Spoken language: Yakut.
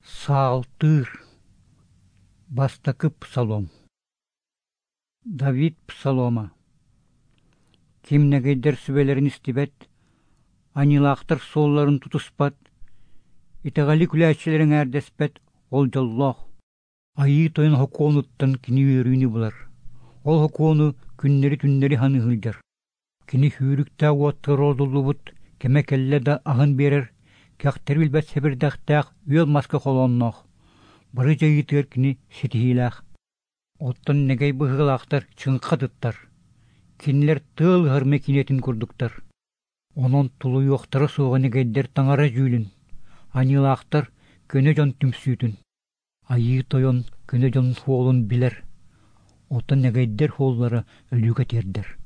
Саалтыыр. Бастакы псалом. Давид псалома. Ким нэгэйдэр сүбэлэрин истибэт, аньыылаахтар суолларын тутуспат, итэҕэли күлээччилэр эҥээрдэспэт ол дьоллоох. Айыы Тойон сокуонуттан кини үөрүүнү булар. Ол сокуону күннэри-түннэри саныы сылдьар. Кини сүүрүктээх уоттар ордуллубут кэмэ кэллэ да аһын биэрэр, кэхтэри билбэт сэбирдэхтээх үөл маска холоонноох, бары дьайыытыгар кини ситиһиилээх. Оттон нэгэй быһыылаахтар чыҥха атыттар, кинилэр тыал ыһар мэкиинэтин курдуктар. Онон тулуйуохтара суоҕа нэгэйдэр таҥара дьүүлүн, аньыылаахтар көнө дьон түмсүүтүн. Айыы Тойон көнө дьон суолун билэр, оттон нэгэйдэр суоллара өлүүгэ тиэрдэр.